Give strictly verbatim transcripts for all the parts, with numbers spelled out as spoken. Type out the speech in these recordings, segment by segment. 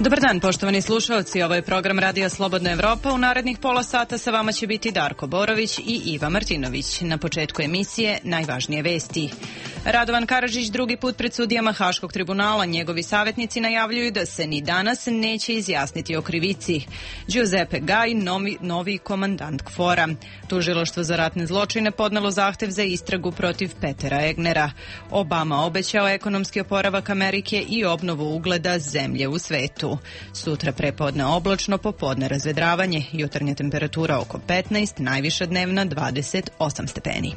Dobar dan, poštovani slušalci. Ovo je program Radija Slobodna Evropa. U narednih pola sata sa vama će biti Darko Borović i Iva Martinović. Na početku emisije najvažnije vesti. Radovan Karadžić drugi put pred sudijama Haškog tribunala. Njegovi savjetnici najavljuju da se ni danas neće izjasniti o krivici. Giuseppe Gaj, novi, novi komandant KFOR-a. Tužilaštvo za ratne zločine podnelo zahtev za istragu protiv Petera Egnera. Obama obećao ekonomski oporavak Amerike i obnovu ugleda zemlje u svetu. Sutra prepodne oblačno, popodne razvedravanje, jutarnja temperatura oko petnaest, najviša dnevna dvadeset osam stepeni.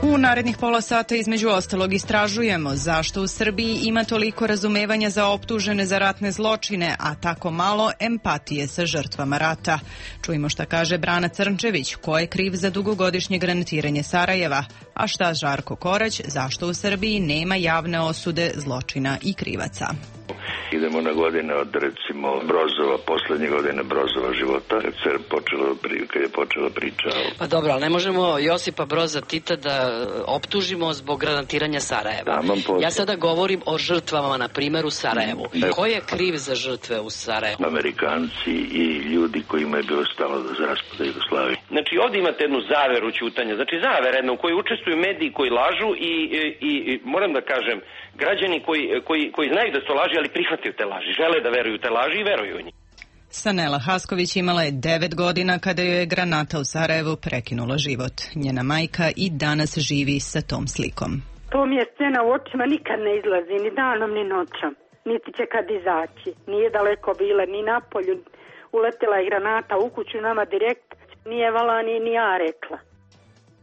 U narednih pola sata između ostalog istražujemo zašto u Srbiji ima toliko razumevanja za optužene za ratne zločine, a tako malo empatije sa žrtvama rata. Čujmo šta kaže Brana Crnčević, ko je kriv za dugogodišnje granatiranje Sarajeva, a šta Žarko Korać, zašto u Srbiji nema javne osude zločina i krivaca. Idemo na godine od, recimo, Brozova, poslednje godine Brozova života, kad, se počelo, kad je počela priča. Pa dobro, ali ne možemo Josipa Broza Tita da optužimo zbog granatiranja Sarajeva. Da, ja sada govorim o žrtvama, na primjer, u Sarajevu. Ne. Ko je kriv za žrtve u Sarajevu? Amerikanci i ljudi kojima je bilo stalo za raspada Jugoslavije. Znači, ovdje imate jednu zaveru ćutanja, znači zavera jednu u kojoj učestvuju mediji koji lažu i, i, i moram da kažem, građani koji, koji, koji znaju da su laži, ali prihvataju te laži, žele da veruju te laži i veruju u njih. Sanela Hasković imala je devet godina kada joj je granata u Sarajevu prekinula život. Njena majka i danas živi sa tom slikom. To mi je scena u očima, nikad ne izlazi, ni danom, ni noćom. Niti će kad izaći. Nije daleko bila, ni napolju. Uletela je granata u kuću nama direkt. Nije vala ni, ni ja rekla.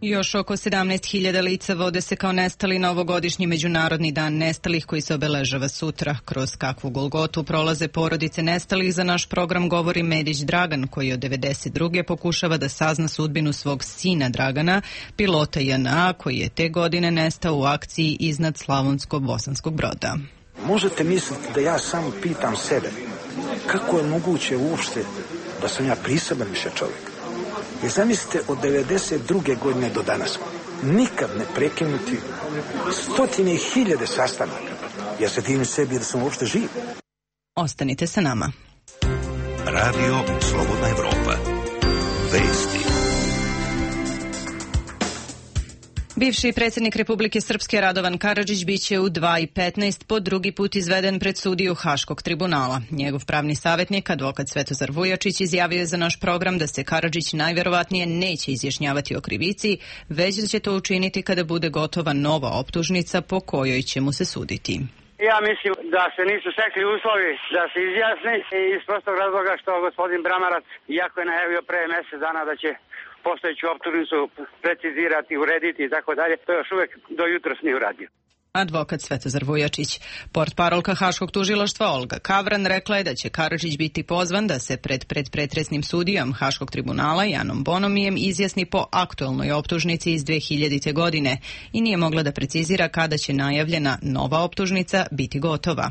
Još oko sedamnaest hiljada lica vode se kao nestali na ovogodišnji Međunarodni dan nestalih koji se obeležava sutra. Kroz kakvu golgotu prolaze porodice nestalih, za naš program govori Medić Dragan, koji od devedeset druge pokušava da sazna sudbinu svog sina Dragana, pilota J N A, koji je te godine nestao u akciji iznad Slavonsko-Bosanskog Broda. Možete misliti da ja samo pitam sebe kako je moguće uopšte da sam ja priseban više čovjek. I zamislite, od devedeset druge godine do danas nikad ne prekinuti stotine i hiljade sastanaka. Ja se divim sebi da sam uopšte živ. Ostanite sa nama. Radio Slobodna Evropa. Vesti. Bivši predsjednik Republike Srpske Radovan Karadžić biće u dva i petnaest po drugi put izveden pred sudiju Haškog tribunala. Njegov pravni savjetnik, advokat Svetozar Vujačić, izjavio je za naš program da se Karadžić najverovatnije neće izjašnjavati o krivici, već da će to učiniti kada bude gotova nova optužnica po kojoj će mu se suditi. Ja mislim da se nisu stekli uslovi da se izjasni iz prostog razloga što gospodin Bramarac, iako je najavio pre mjesec dana da će postojeću optužnicu precizirati, urediti i tako dalje, to još uvijek do jutros nije uradio. Advokat Svetozar Vujačić. Portparolka Haškog tužilaštva Olga Kavran rekla je da će Karadžić biti pozvan da se pred predpretresnim sudijom Haškog tribunala Janom Bonomijem izjasni po aktualnoj optužnici iz dve hiljadite. godine i nije mogla da precizira kada će najavljena nova optužnica biti gotova.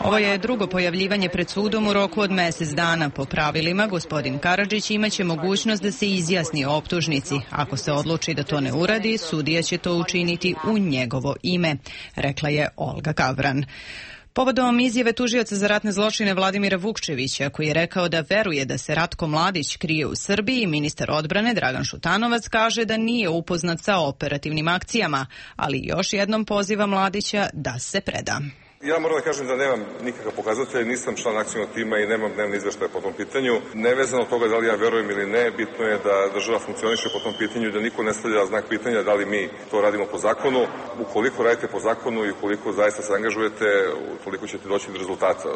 Ovo je drugo pojavljivanje pred sudom u roku od mjesec dana. Po pravilima, gospodin Karadžić imaće mogućnost da se izjasni o optužnici. Ako se odluči da to ne uradi, sudija će to učiniti u njegovo ime, rekla je Olga Kavran. Povodom izjave tužioca za ratne zločine Vladimira Vukčevića, koji je rekao da veruje da se Ratko Mladić krije u Srbiji, ministar odbrane Dragan Šutanovac kaže da nije upoznat sa operativnim akcijama, ali još jednom poziva Mladića da se preda. Ja moram da kažem da nemam nikakav pokazatelj, nisam član akcijnog tima i nemam dnevni izveštaj po tom pitanju. Nevezano od toga da li ja verujem ili ne, bitno je da država funkcioniše po tom pitanju i da niko ne stavlja znak pitanja da li mi to radimo po zakonu. Ukoliko radite po zakonu i ukoliko zaista se angažujete, utoliko ćete doći do rezultata.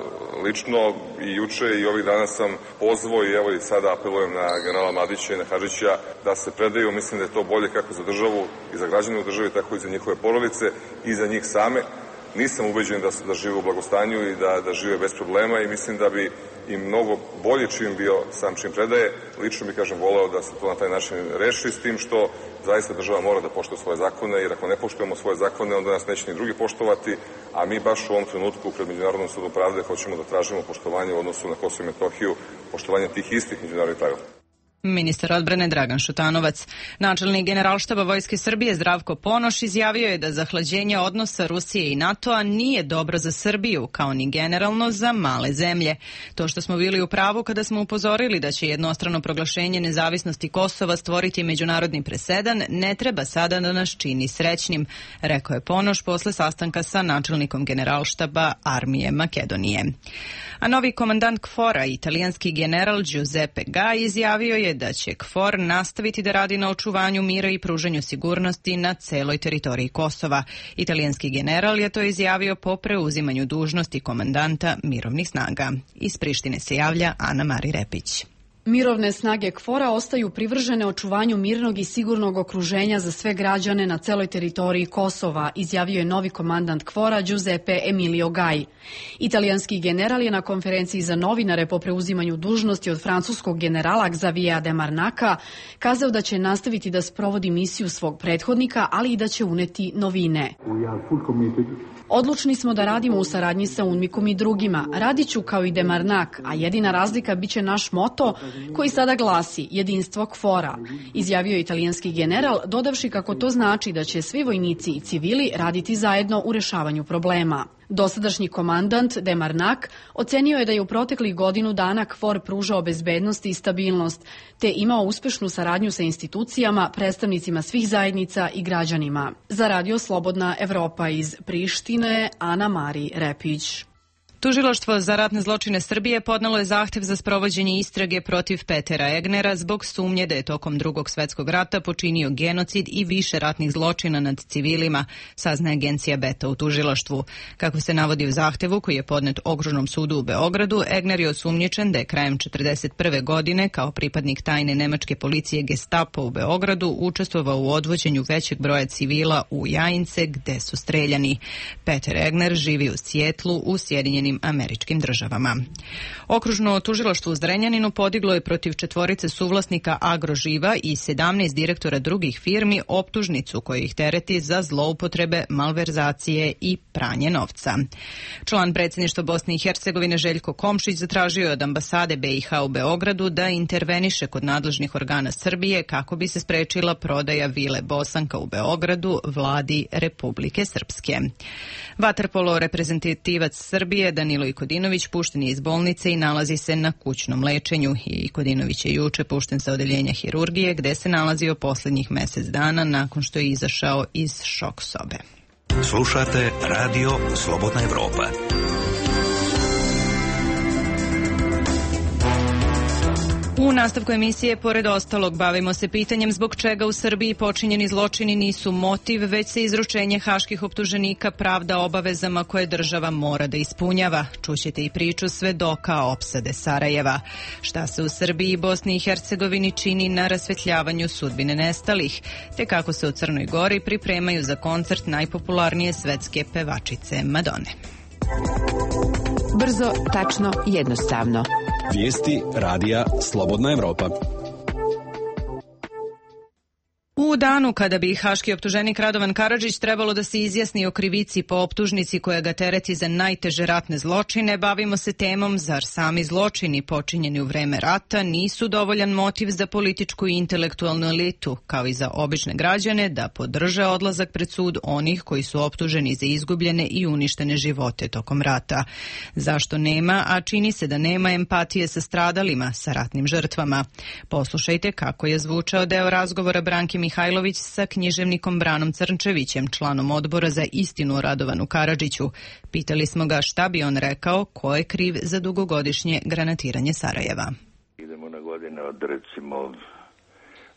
Lično i juče i ovih dana sam pozvao i evo i sada apelujem na generala Mladića i na Hadžića da se predaju. Mislim da je to bolje kako za državu i za građane u državi, tako i za njihove porodice i za njih same. Nisam ubeđen da, da žive u blagostanju i da, da žive bez problema i mislim da bi im mnogo bolje čim bio sam čim predaje. Lično bi, kažem, voleo da se to na taj način reši, s tim što zaista država mora da poštuje svoje zakone, jer ako ne poštujemo svoje zakone, onda nas neće ni drugi poštovati, a mi baš u ovom trenutku pred Međunarodnom sudom pravde hoćemo da tražimo poštovanje u odnosu na Kosovo i Metohiju, poštovanje tih istih međunarodnih pravila. Ministar odbrane Dragan Šutanovac. Načelnik Generalštaba Vojske Srbije Zdravko Ponoš izjavio je da zahlađenje odnosa Rusije i NATO-a nije dobro za Srbiju, kao ni generalno za male zemlje. To što smo bili u pravu kada smo upozorili da će jednostrano proglašenje nezavisnosti Kosova stvoriti međunarodni presedan, ne treba sada da nas čini srećnim, rekao je Ponoš posle sastanka sa načelnikom Generalštaba Armije Makedonije. A novi komandant KFOR-a, italijanski general Giuseppe Gai, izjavio je da će KFOR nastaviti da radi na očuvanju mira i pružanju sigurnosti na celoj teritoriji Kosova. Italijanski general je to izjavio po preuzimanju dužnosti komandanta mirovnih snaga. Iz Prištine se javlja Ana Mari Repić. Mirovne snage KFOR-a ostaju privržene očuvanju mirnog i sigurnog okruženja za sve građane na celoj teritoriji Kosova, izjavio je novi komandant KFOR-a Giuseppe Emilio Gai. Italijanski general je na konferenciji za novinare po preuzimanju dužnosti od francuskog generala Xaviera de Marnaka kazao da će nastaviti da sprovodi misiju svog prethodnika, ali i da će uneti novine. Odlučni smo da radimo u saradnji sa UNMIK-om i drugima. Radit ću kao i de Marnak, a jedina razlika biće naš moto koji sada glasi jedinstvo KFOR-a, izjavio je italijanski general, dodavši kako to znači da će svi vojnici i civili raditi zajedno u rešavanju problema. Dosadašnji komandant de Marnak ocenio je da je u proteklih godinu dana KFOR pružao bezbednost i stabilnost, te imao uspešnu saradnju sa institucijama, predstavnicima svih zajednica i građanima. Za Radio Slobodna Evropa iz Prištine, Ana Mari Repić. Tužilaštvo za ratne zločine Srbije podnelo je zahtev za sprovođenje istrage protiv Petera Egnera zbog sumnje da je tokom Drugog svetskog rata počinio genocid i više ratnih zločina nad civilima, saznaje agencija Beta u tužilaštvu. Kako se navodi u zahtevu koji je podnet Okružnom sudu u Beogradu, Egner je osumnjičen da je krajem četrdeset prve godine kao pripadnik tajne nemačke policije Gestapo u Beogradu učestvovao u odvođenju većeg broja civila u Jajince gde su streljani. Peter Egner živi u Sjetlu u Sjedinjenim Američkim državama. Okružno tužilaštvo u Zrenjaninu podiglo je protiv četvorice suvlasnika Agroživa i sedamnaest direktora drugih firmi optužnicu koja ih tereti za zloupotrebe, malverzacije i pranje novca. Član predsjedništva Bosne i Hercegovine Željko Komšić zatražio je od ambasade B i H u Beogradu da interveniše kod nadležnih organa Srbije kako bi se sprečila prodaja vile Bosanka u Beogradu vladi Republike Srpske. Vaterpolo reprezentativac Srbije Danilo Ikodinović pušten je iz bolnice i nalazi se na kućnom lečenju. Ikodinović je juče pušten sa odeljenja hirurgije gde se nalazio posljednjih mjesec dana nakon što je izašao iz šok sobe. Slušate Radio Slobodna Evropa. U nastavku emisije, pored ostalog, bavimo se pitanjem zbog čega u Srbiji počinjeni zločini nisu motiv, već se izručenje haških optuženika pravda obavezama koje država mora da ispunjava. Čućete i priču svedoka opsade Sarajeva. Šta se u Srbiji i Bosni i Hercegovini čini na rasvetljavanju sudbine nestalih, te kako se u Crnoj Gori pripremaju za koncert najpopularnije svetske pevačice Madone. Brzo, tačno, jednostavno. Vijesti radija Slobodna Evropa. U danu kada bi haški optuženik Radovan Karadžić trebalo da se izjasni o krivici po optužnici koja ga tereti za najteže ratne zločine, bavimo se temom zar sami zločini počinjeni u vreme rata nisu dovoljan motiv za političku i intelektualnu elitu, kao i za obične građane da podrže odlazak pred sud onih koji su optuženi za izgubljene i uništene živote tokom rata. Zašto nema, a čini se da nema empatije sa stradalima, sa ratnim žrtvama? Poslušajte kako je zvučao deo razgovora Branke Mihajlović sa književnikom Branom Crnčevićem, članom odbora za istinu o Radovanu Karadžiću. Pitali smo ga šta bi on rekao, ko je kriv za dugogodišnje granatiranje Sarajeva. Idemo na godine od recimo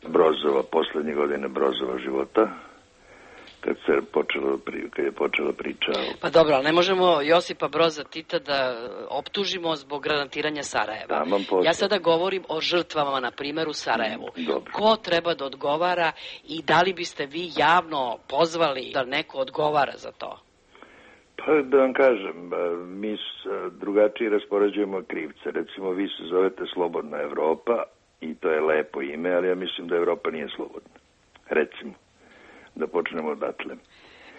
Brozova, poslednje godine Brozova života, kad se počelo, kad je počela priča. Pa dobro, ali ne možemo Josipa Broza Tita da optužimo zbog granatiranja Sarajeva. Da, ja sada govorim o žrtvama, na primjer, u Sarajevu. Dobro. Ko treba da odgovara i da li biste vi javno pozvali da neko odgovara za to? Pa da vam kažem, mi drugačije raspoređujemo krivce. Recimo, vi se zovete Slobodna Evropa i to je lepo ime, ali ja mislim da Evropa nije slobodna. Recimo. Da počnemo odatle.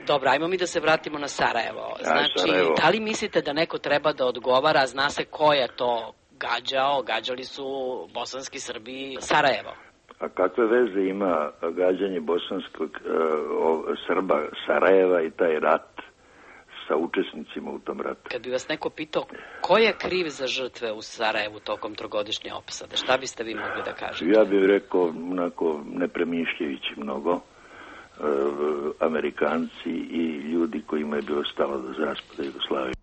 Dobro, ajmo mi da se vratimo na Sarajevo. Znači, Sarajevo. Da li mislite da neko treba da odgovara, zna se ko je to gađao, gađali su bosanski Srbi Sarajevo. A kakve veze ima gađanje bosanskog uh, Srba Sarajeva i taj rat sa učesnicima u tom ratu? Kad bi vas neko pitao ko je kriv za žrtve u Sarajevu tokom trogodišnje opsade, šta biste vi mogli da kažete? Ja bih rekao, onako, ne premišljajući mnogo, uh, Amerikanci i ljudi kojima je bilo stalo do raspada Jugoslavije.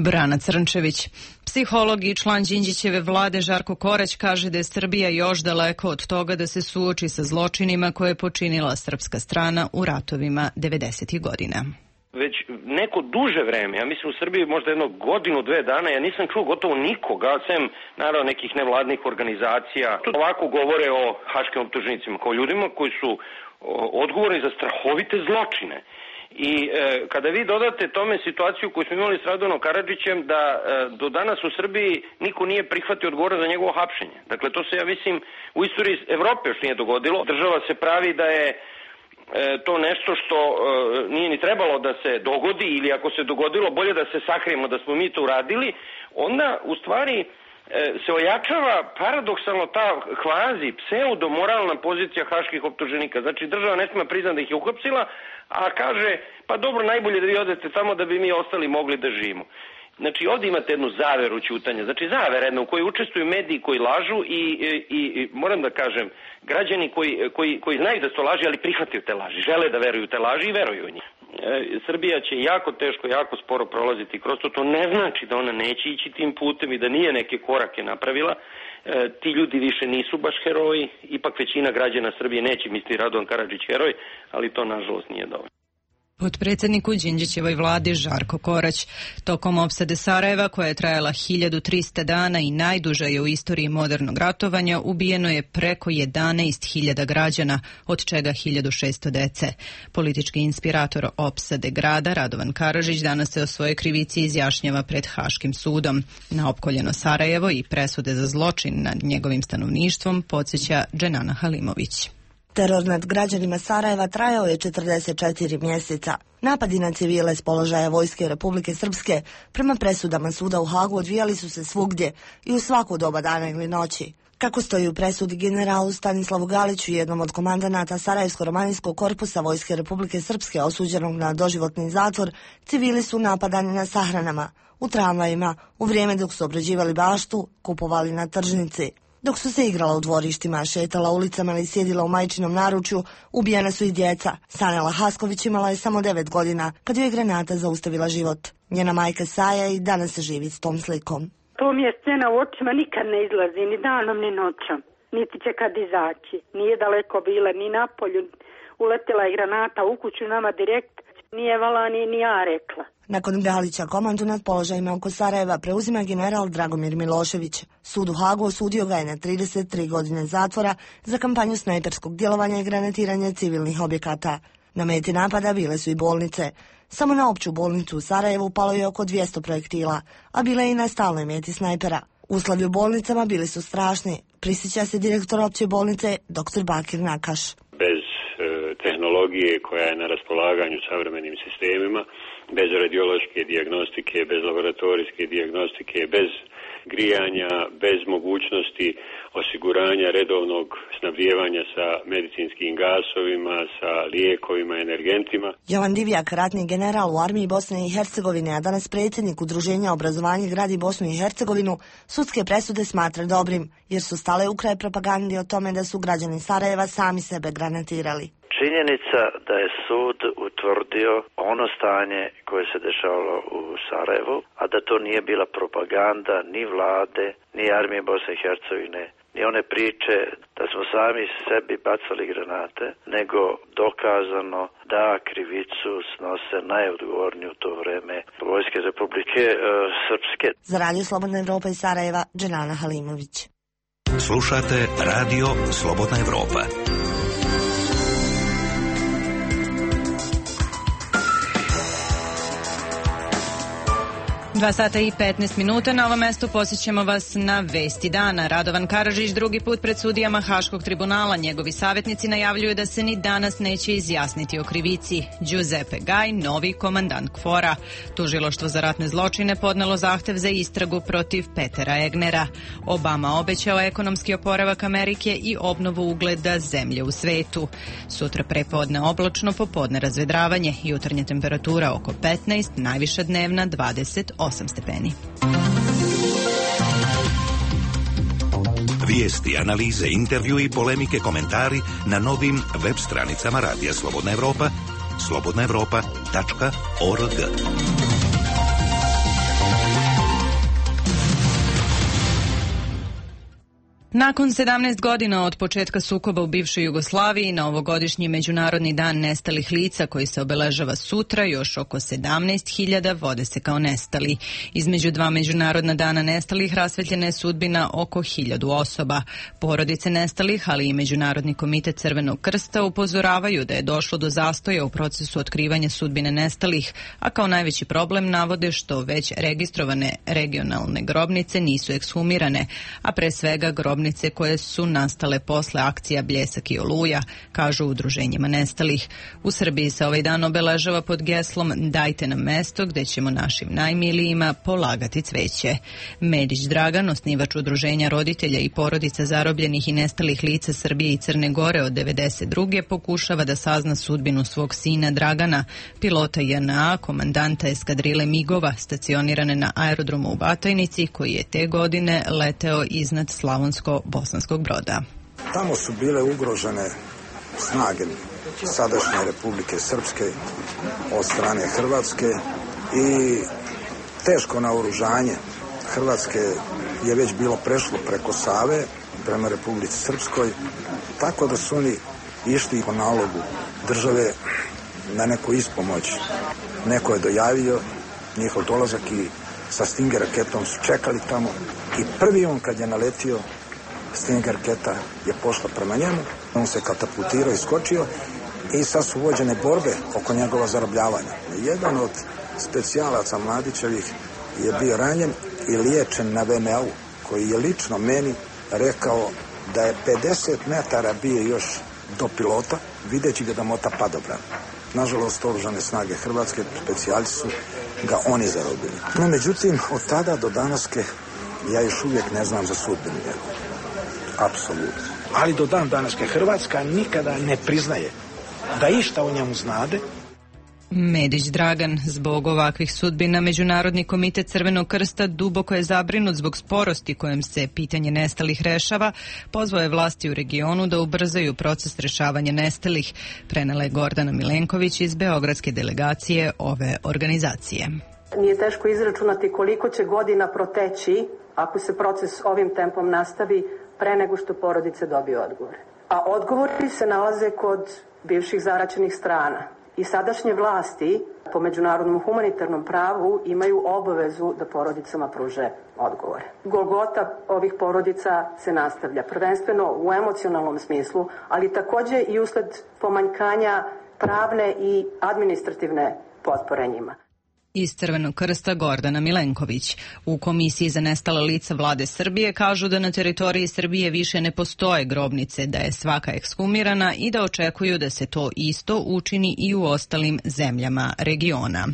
Brana Crnčević. Psiholog i član Đinđićeve vlade Žarko Korać kaže da je Srbija još daleko od toga da se suoči sa zločinima koje je počinila srpska strana u ratovima devedesetih godina. Već neko duže vreme, ja mislim u Srbiji možda jedno godinu, dve dana, ja nisam čuo gotovo nikoga, sem naravno nekih nevladnih organizacija. Tu ovako govore o haškim optuženicima kao ljudima koji su odgovorni za strahovite zločine. I e, kada vi dodate tome situaciju koju smo imali s Radovanom Karadžićem da e, do danas u Srbiji niko nije prihvatio odgovor za njegovo hapšenje. Dakle, to se, ja mislim, u istoriji Evrope još nije dogodilo. Država se pravi da je e, to nešto što e, nije ni trebalo da se dogodi, ili ako se dogodilo, bolje da se sakrijemo da smo mi to uradili, onda u stvari e, se ojačava paradoksalno ta kvazi, pseudo-moralna pozicija haških optuženika. Znači, država ne smije priznati da ih je uhapsila, a kaže, pa dobro, najbolje da vi odete tamo da bi mi ostali mogli da živimo. Znači, ovdje imate jednu zaveru ćutanja, znači zavera jedna u kojoj učestvuju mediji koji lažu i, i, i moram da kažem, građani koji, koji, koji znaju da su to laži, ali prihvataju te laži, žele da veruju te laži i veruju u njih. E, Srbija će jako teško, jako sporo prolaziti kroz to, to ne znači da ona neće ići tim putem i da nije neke korake napravila. E, ti ljudi više nisu baš heroji, ipak većina građana Srbije neće misliti Radovan Karadžić heroj, ali to nažalost nije dovoljno. Potpredsjednik u Đinđićevoj vladi Žarko Korać. Tokom opsade Sarajeva, koja je trajala hiljadu trista dana i najduža je u istoriji modernog ratovanja, ubijeno je preko jedanaest hiljada građana, od čega hiljadu šesto dece. Politički inspirator opsade grada Radovan Karadžić danas se o svojoj krivici izjašnjava pred Haškim sudom. Na opkoljeno Sarajevo i presude za zločin nad njegovim stanovništvom podsjeća Dženana Halimović. Teror nad građanima Sarajeva trajao je četrdeset četiri mjeseca. Napadi na civile s položaja vojske Republike Srpske prema presudama suda u Hagu odvijali su se svugdje i u svaku doba dana ili noći. Kako stoji u presudi generalu Stanislavu Galiću, jednom od komandanata Sarajevsko-romanijskog korpusa vojske Republike Srpske osuđenog na doživotni zatvor, civili su napadani na sahranama, u tramvajima, u vrijeme dok su obrađivali baštu, kupovali na tržnici. Dok su se igrala u dvorištima, šetala ulicama ili sjedila u majčinom naručju, ubijena su i djeca. Sanela Hasković imala je samo devet godina kad joj je granata zaustavila život. Njena majka Saja i danas se živi s tom slikom. To mi je scena u očima, nikad ne izlazi, ni danom ni noćom. Niti će kad izaći. Nije daleko bila, ni napolju. Uletela je granata u kuću nama direkt. Nije vala ni, ni ja rekla. Nakon Galića komandu nad položajima oko Sarajeva preuzima general Dragomir Milošević. Sud u Hagu osudio ga je na trideset tri godine zatvora za kampanju snajperskog djelovanja i granatiranja civilnih objekata. Na meti napada bile su i bolnice. Samo na opću bolnicu u Sarajevu palo je oko dvjesto projektila, a bile i na stalnoj meti snajpera. Uslovi u bolnicama bili su strašni, prisjeća se direktor opće bolnice doktor Bakir Nakaš. Bez e, tehnologije koja je na raspolaganju savremenim sistemima, bez radiološke dijagnostike, bez laboratorijske dijagnostike, bez grijanja, bez mogućnosti osiguranja redovnog snabdijevanja sa medicinskim gasovima, sa lijekovima, energentima. Jovan Divjak, ratni general u armiji Bosne i Hercegovine, a danas predsjednik Udruženja obrazovanja gradi Bosnu i Hercegovinu, sudske presude smatra dobrim, jer su stale u kraj propagandi o tome da su građani Sarajeva sami sebe granatirali. Činjenica da je sud utvrdio ono stanje koje se dešavalo u Sarajevu, a da to nije bila propaganda ni vlade, ni armije Bosne i Hercegovine, ni one priče da smo sami sebi bacali granate, nego dokazano da krivicu snose najodgovorniji u to vreme vojske Republike e, Srpske. Za Radio Slobodna Evropa iz Sarajeva, Dženana Halimović. Slušate Radio Slobodna Evropa. Dva sata i petnaest minuta. Na ovom mestu posjećamo vas na vesti dana. Radovan Karadžić drugi put pred sudijama Haškog tribunala. Njegovi savjetnici najavljuju da se ni danas neće izjasniti o krivici. Giuseppe Gaj, novi komandant KFOR-a. Tužilaštvo za ratne zločine podnelo zahtev za istragu protiv Petera Egnera. Obama obećao ekonomski oporavak Amerike i obnovu ugleda zemlje u svetu. Sutra prepodne oblačno, popodne razvedravanje. Jutarnja temperatura oko petnaest, najviša dnevna dvadeset osam stepeni. Vijesti, analize, intervju i polemike, komentari na novim web stranicama Radija Slobodna Evropa, slobodna evropa tačka org. Nakon sedamnaest godina od početka sukoba u bivšoj Jugoslaviji, na ovogodišnji Međunarodni dan nestalih lica koji se obeležava sutra, još oko sedamnaest hiljada vode se kao nestali. Između dva Međunarodna dana nestalih rasvetljena je sudbina oko hiljadu osoba. Porodice nestalih, ali i Međunarodni komitet Crvenog krsta upozoravaju da je došlo do zastoja u procesu otkrivanja sudbine nestalih, a kao najveći problem navode što već registrovane regionalne grobnice nisu ekshumirane, a pre svega grobnice koje su nastale posle akcija Bljesak i Oluja, kažu udruženjima nestalih. U Srbiji se ovaj dan obeležava pod geslom Dajte nam mesto gde ćemo našim najmilijima polagati cveće. Medić Dragan, osnivač udruženja roditelja i porodica zarobljenih i nestalih lica Srbije i Crne Gore od devedeset druge pokušava da sazna sudbinu svog sina Dragana, pilota J N A, komandanta eskadrile migova stacionirane na aerodromu u Batajnici, koji je te godine leteo iznad Slavonsko Bosanskog Broda. Tamo su bile ugrožene snage sadašnje Republike Srpske od strane Hrvatske i teško naoružanje Hrvatske je već bilo prešlo preko Save prema Republici Srpskoj, tako da su oni išli po nalogu države na neku ispomoć. Neko je dojavio njihov dolazak i sa Stinger raketom su čekali tamo i prvi on kad je naletio, Stinger raketa je pošla prema njemu, on se katapultirao i skočio i sad su vođene borbe oko njegova zarobljavanja. Jedan od specijalaca Mladićevih je bio ranjen i liječen na V M A-u, koji je lično meni rekao da je pedeset metara bio još do pilota, videći ga da mota padobran. Nažalost, oružane snage Hrvatske, specijalci su ga oni zarobili. No, međutim, od tada do danaske ja još uvijek ne znam za sudbinu njegovu. Apsolutno. Ali do dan danaske Hrvatska nikada ne priznaje da išta o njemu znade. Medić Dragan, zbog ovakvih sudbina Međunarodni komitet Crvenog krsta duboko je zabrinut zbog sporosti kojom se pitanje nestalih rešava, pozvao je vlasti u regionu da ubrzaju proces rešavanja nestalih, prenela je Gordana Milenković iz beogradske delegacije ove organizacije. Nije teško izračunati koliko će godina proteći ako se proces ovim tempom nastavi pre nego što porodice dobiju odgovore. A odgovori se nalaze kod bivših zaraćenih strana. I sadašnje vlasti po međunarodnom humanitarnom pravu imaju obavezu da porodicama pruže odgovore. Golgota ovih porodica se nastavlja, prvenstveno u emocionalnom smislu, ali takođe i usled pomanjkanja pravne i administrativne potpore njima. Iz Crvenog krsta Gordana Milenković. U Komisiji za nestala lica vlade Srbije kažu da na teritoriji Srbije više ne postoje grobnice, da je svaka ekshumirana i da očekuju da se to isto učini i u ostalim zemljama regiona.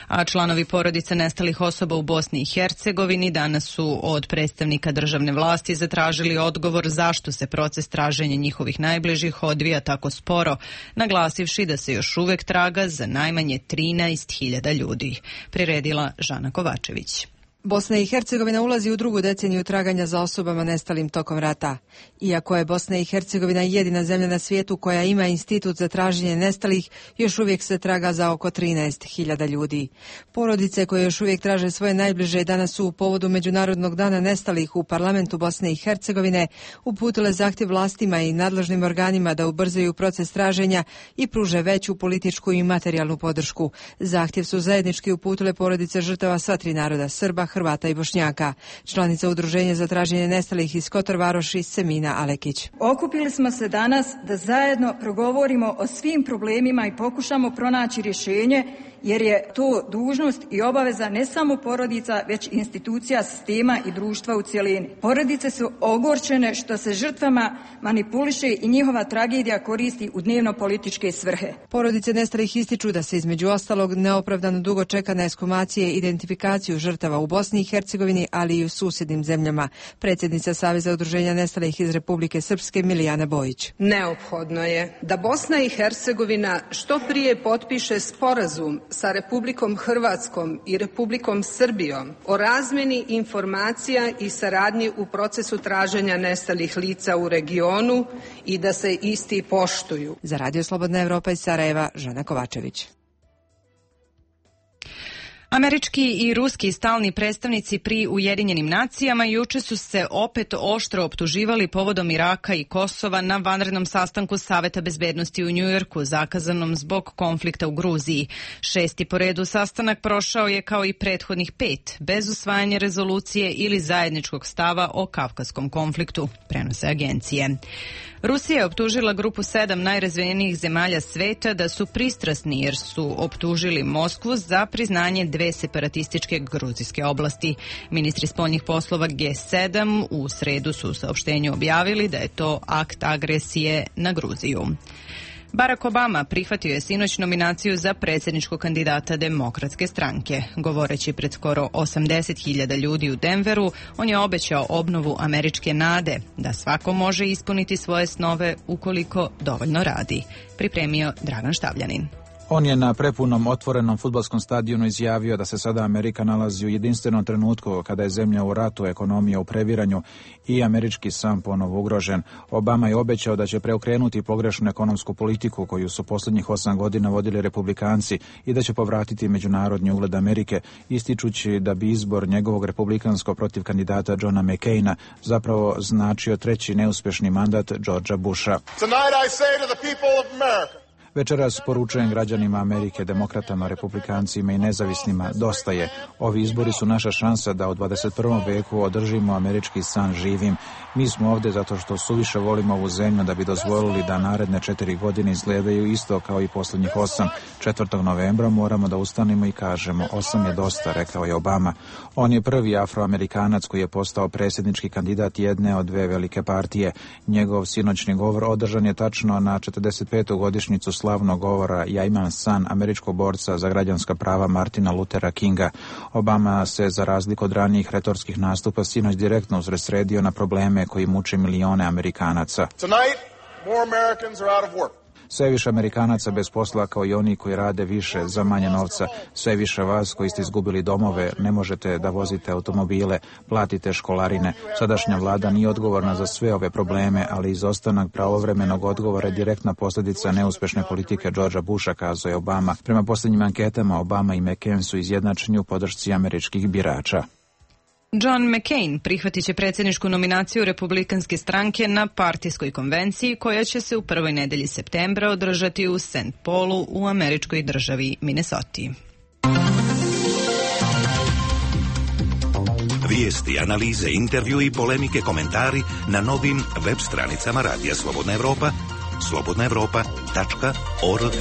A članovi porodica nestalih osoba u Bosni i Hercegovini danas su od predstavnika državne vlasti zatražili odgovor zašto se proces traženja njihovih najbližih odvija tako sporo, naglasivši da se još uvek traga za najmanje trinaest hiljada ljudi. Priredila Žana Kovačević. Bosna i Hercegovina ulazi u drugu deceniju traganja za osobama nestalim tokom rata. Iako je Bosna i Hercegovina jedina zemlja na svijetu koja ima institut za traženje nestalih, još uvijek se traga za oko trinaest hiljada ljudi. Porodice koje još uvijek traže svoje najbliže danas su u povodu Međunarodnog dana nestalih u parlamentu Bosne i Hercegovine uputile zahtjev vlastima i nadležnim organima da ubrzaju proces traženja i pruže veću političku i materijalnu podršku. Zahtjev su zajednički uputile porodice žrtava sva tri naroda, Srba, Hrvata i Bošnjaka. Članica Udruženja za traženje nestalih iz Kotor Varoši Semina Alekić. Okupili smo se danas da zajedno progovorimo o svim problemima i pokušamo pronaći rješenje, jer je to dužnost i obaveza ne samo porodica, već institucija, sistema i društva u cjelini. Porodice su ogorčene što se žrtvama manipuliše i njihova tragedija koristi u dnevno političke svrhe. Porodice nestalih ističu da se između ostalog neopravdano dugo čeka na ekshumacije i identifikaciju žrtava u Bosni i Hercegovini, ali i u susjednim zemljama. Predsjednica Saveza udruženja nestalih iz Republike Srpske Milijana Bojić. Neophodno je da Bosna i Hercegovina što prije potpiše sporazum sa Republikom Hrvatskom i Republikom Srbijom o razmjeni informacija i saradnji u procesu traženja nestalih lica u regionu i da se isti poštuju. Za Radio Slobodna Evropa iz Sarajeva, Žana Kovačević. Američki i ruski stalni predstavnici pri Ujedinjenim nacijama juče su se opet oštro optuživali povodom Iraka i Kosova na vanrednom sastanku Saveta bezbednosti u Njujorku, zakazanom zbog konflikta u Gruziji. Šesti po redu sastanak prošao je kao i prethodnih pet, bez usvajanja rezolucije ili zajedničkog stava o kavkazskom konfliktu, prenose agencije. Rusija je optužila grupu sedam najrazvijenijih zemalja sveta da su pristrasni jer su optužili Moskvu za priznanje dve separatističke gruzijske oblasti. Ministri spoljnih poslova G sedam u sredu su u saopštenju objavili da je to akt agresije na Gruziju. Barack Obama prihvatio je sinoć nominaciju za predsjedničkog kandidata Demokratske stranke. Govoreći pred skoro osamdeset hiljada ljudi u Denveru, on je obećao obnovu američke nade, da svako može ispuniti svoje snove ukoliko dovoljno radi. Pripremio Dragan Štavljanin. On je na prepunom otvorenom fudbalskom stadionu izjavio da se sada Amerika nalazi u jedinstvenom trenutku kada je zemlja u ratu, ekonomija u previranju i američki san ponovo ugrožen. Obama je obećao da će preokrenuti pogrešnu ekonomsku politiku koju su posljednjih osam godina vodili republikanci i da će povratiti međunarodni ugled Amerike, ističući da bi izbor njegovog republikanskog protiv kandidata Johna McCaina zapravo značio treći neuspješni mandat Georgea Busha. Tonight I say to the people of America. Večeras poručujem građanima Amerike, demokratama, republikancima i nezavisnima, dosta je. Ovi izbori su naša šansa da u dvadeset prvom veku održimo američki san živim. Mi smo ovdje zato što suviše volimo ovu zemlju da bi dozvolili da naredne četiri godine izgledaju isto kao i posljednjih osam. četvrtog novembra moramo da ustanemo i kažemo osam je dosta, rekao je Obama. On je prvi afroamerikanac koji je postao predsjednički kandidat jedne od dve velike partije. Njegov sinoćni govor održan je tačno na četrdeset petu godišnjicu slavnog govora Ja imam san američkog borca za građanska prava Martina Luthera Kinga. Obama se, za razliku od ranijih retorskih nastupa, sinoć direktno usredsredio na probleme koji muče milione Amerikanaca. Tonight, more Americans are out of work. Sve više Amerikanaca bez posla kao i oni koji rade više za manje novca. Sve više vas koji ste izgubili domove, ne možete da vozite automobile, platite školarine. Sadašnja vlada nije odgovorna za sve ove probleme, ali izostanak pravovremenog odgovora je direktna posljedica neuspješne politike Georgea Busha, kazao je Obama. Prema posljednjim anketama, Obama i McCain su izjednačeni u podršci američkih birača. John McCain prihvatit će predsjedničku nominaciju Republikanske stranke na partijskoj konvenciji koja će se u prvoj nedelji septembra održati u Saint Paulu u američkoj državi Minnesoti. Vijesti, analize, intervju i polemike, komentari na novim web stranicama Radija Slobodna Evropa, slobodna evropa tačka org.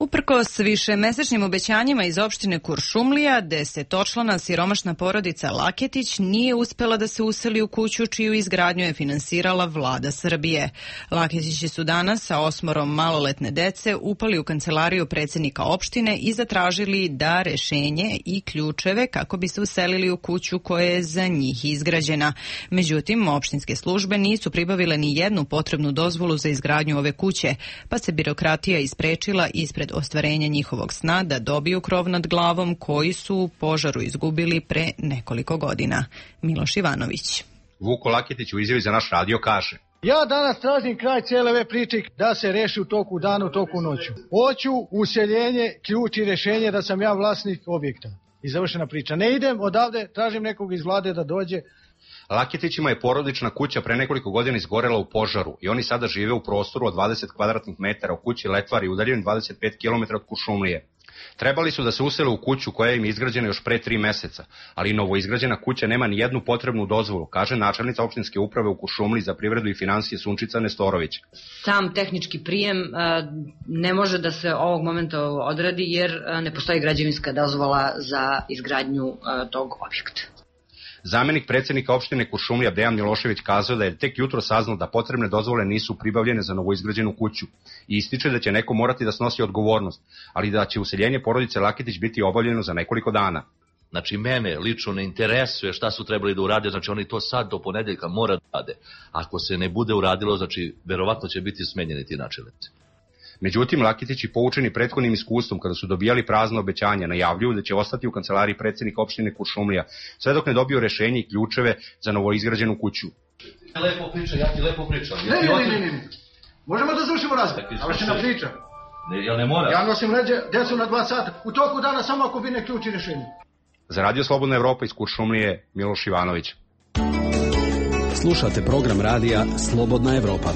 Uprkos višemesečnim obećanjima iz opštine Kuršumlija, desetočlana siromašna porodica Laketić nije uspela da se useli u kuću čiju izgradnju je finansirala vlada Srbije. Laketići su danas sa osmorom maloletne dece upali u kancelariju predsjednika opštine i zatražili da rešenje i ključeve kako bi se uselili u kuću koja je za njih izgrađena. Međutim, opštinske službe nisu pribavile ni jednu potrebnu dozvolu za izgradnju ove kuće, pa se birokratija isprečila ispred ostvarenja njihovog sna da dobiju krov nad glavom koji su u požaru izgubili pre nekoliko godina. Miloš Ivanović. Vuko Laketić u izjavi za naš radio kaže: Ja danas tražim kraj cijele ove priče da se reši u toku dana, u toku noću. Hoću useljenje, ključ i rešenje da sam ja vlasnik objekta. I završena priča. Ne idem odavde, tražim nekog iz vlade da dođe, Laketićima je porodična kuća pre nekoliko godina izgorela u požaru i oni sada žive u prostoru od dvadeset kvadratnih metara u kući Letvari, udaljen dvadeset pet kilometara od Kuršumlije. Trebali su da se usele u kuću koja im je izgrađena još pre tri meseca, ali novoizgrađena kuća nema ni jednu potrebnu dozvolu, kaže načelnica opštinske uprave u Kuršumliji za privredu i finansije Sunčica Nestorović. Sam tehnički prijem ne može da se ovog momenta odradi jer ne postoji građevinska dozvola za izgradnju tog objekta. Zamenik predsjednika opštine Kuršumlija Dejan Milošević kazao da je tek jutro saznao da potrebne dozvole nisu pribavljene za novoizgrađenu kuću i ističe da će neko morati da snosi odgovornost, ali da će useljenje porodice Laketić biti obavljeno za nekoliko dana. Znači, mene lično ne interesuje šta su trebali da urade, znači oni to sad do ponedeljka mora da rade. Ako se ne bude uradilo, znači, verovatno će biti smenjeni ti načelnici. Međutim, Laketići, poučeni prethodnim iskustvom kada su dobijali prazno obećanja, najavljuju da će ostati u kancelariji predsjednika opštine Kuršumlija, sve dok ne dobiju rešenje i ključeve za novoizgrađenu kuću. Lepo priča, ja ti lepo pričam. Ne, ne, ne, ne, ne. Možemo da završimo razgovor, ali će nam priča. Ne, ja ne moram. Ja nosim leđe, djecu na dva sata, u toku dana samo ako bi ne ključi rešenje. Za Radio Slobodna Evropa iz Kuršumlije, Miloš Ivanović. Slušate program radija Slobodna Evropa.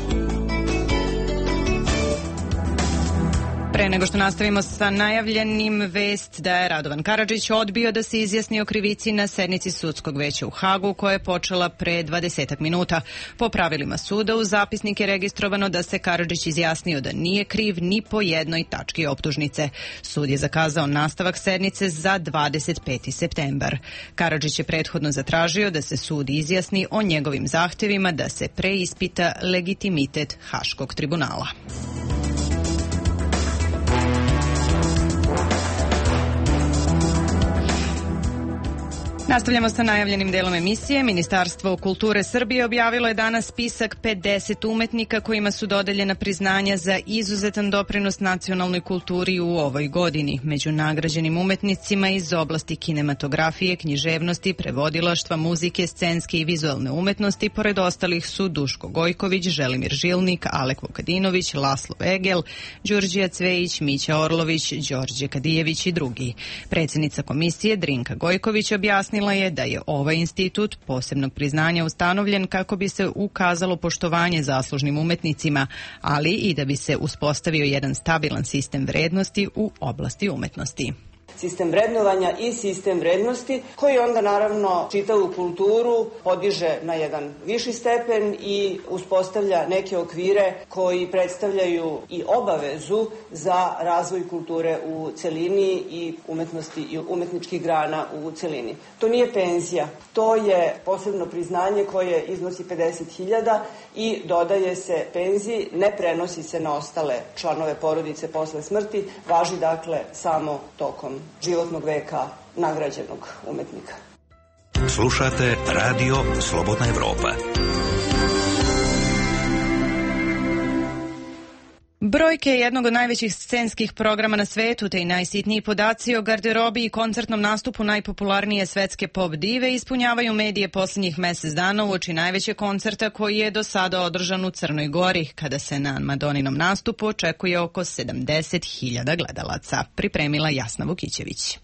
Pre nego što nastavimo sa najavljenim, vest da je Radovan Karadžić odbio da se izjasni o krivici na sednici sudskog veća u Hagu koja je počela pre dvadesetak minuta. Po pravilima suda u zapisnik je registrovano da se Karadžić izjasnio da nije kriv ni po jednoj tački optužnice. Sud je zakazao nastavak sednice za dvadeset peti septembar. Karadžić je prethodno zatražio da se sud izjasni o njegovim zahtevima da se preispita legitimitet Haškog tribunala. Nastavljamo sa najavljenim delom emisije. Ministarstvo kulture Srbije objavilo je danas spisak pedeset umetnika kojima su dodeljena priznanja za izuzetan doprinos nacionalnoj kulturi u ovoj godini. Među nagrađenim umetnicima iz oblasti kinematografije, književnosti, prevodilaštva, muzike, scenske i vizualne umetnosti, pored ostalih su Duško Gojković, Želimir Žilnik, Alek Vukadinović, Laslo Egel, Đurđija Cvejić, Mića Orlović, Đorđe Kadijević i drugi. Predsjednica komisije Drinka Gojković objasnila je da je ovaj institut posebnog priznanja ustanovljen kako bi se ukazalo poštovanje zaslužnim umetnicima, ali i da bi se uspostavio jedan stabilan sistem vrednosti u oblasti umetnosti. Sistem vrednovanja i sistem vrednosti koji onda naravno čitavu kulturu podiže na jedan viši stepen i uspostavlja neke okvire koji predstavljaju i obavezu za razvoj kulture u celini i umetnosti i umetničkih grana u celini. To nije penzija, to je posebno priznanje koje iznosi pedeset hiljada i dodaje se penziji, ne prenosi se na ostale članove porodice posle smrti, važi dakle samo tokom životnog veka nagrađenog umetnika. Slušate Radio Slobodna Evropa. Brojke jednog od najvećih scenskih programa na svetu te i najsitniji podaci o garderobi i koncertnom nastupu najpopularnije svetske pop dive ispunjavaju medije posljednjih mesec dana uoči najvećeg koncerta koji je do sada održan u Crnoj Gori, kada se na Madoninom nastupu očekuje oko sedamdeset hiljada gledalaca. Pripremila Jasna Vukićević.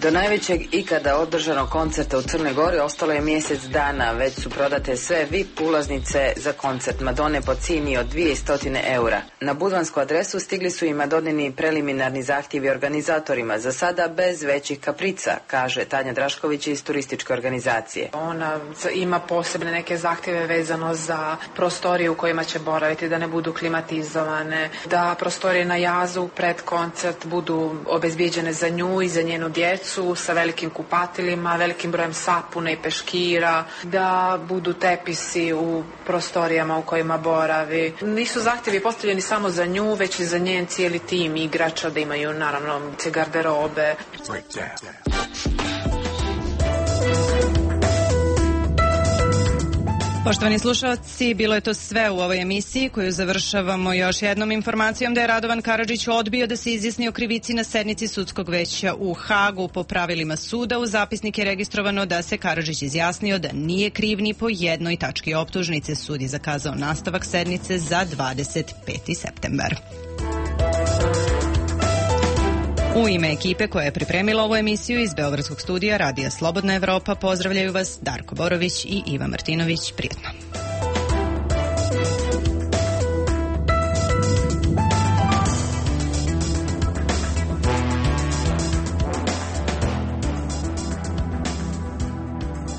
Do najvećeg ikada održanog koncerta u Crnoj Gori ostalo je mjesec dana, već su prodate sve V I P ulaznice za koncert Madone po cijeni od dvjesto eura. Na budvansku adresu stigli su i Madonini preliminarni zahtjevi organizatorima, za sada bez većih kaprica, kaže Tanja Drašković iz turističke organizacije. Ona ima posebne neke zahtjeve vezano za prostorije u kojima će boraviti, da ne budu klimatizovane, da prostorije na jazu pred koncert budu obezbijeđene za nju i za njenu djecu sa velikim kupatilima, velikim brojem sapuna i peškira, da budu tepisi u prostorijama u kojima boravi. Nisu zahtjevi postavljeni samo za nju, već i za njen cijeli tim igrača, da imaju naravno garderobe. Poštovani slušalci, bilo je to sve u ovoj emisiji koju završavamo još jednom informacijom da je Radovan Karadžić odbio da se izjasni o krivici na sednici sudskog veća u Hagu. Po pravilima suda u zapisnik je registrovano da se Karadžić izjasnio da nije kriv ni po jednoj tački optužnice. Sud je zakazao nastavak sednice za dvadeset peti septembar. U ime ekipe koja je pripremila ovu emisiju iz Beogradskog studija Radija Slobodna Evropa pozdravljaju vas Darko Borović i Iva Martinović. Prijetno.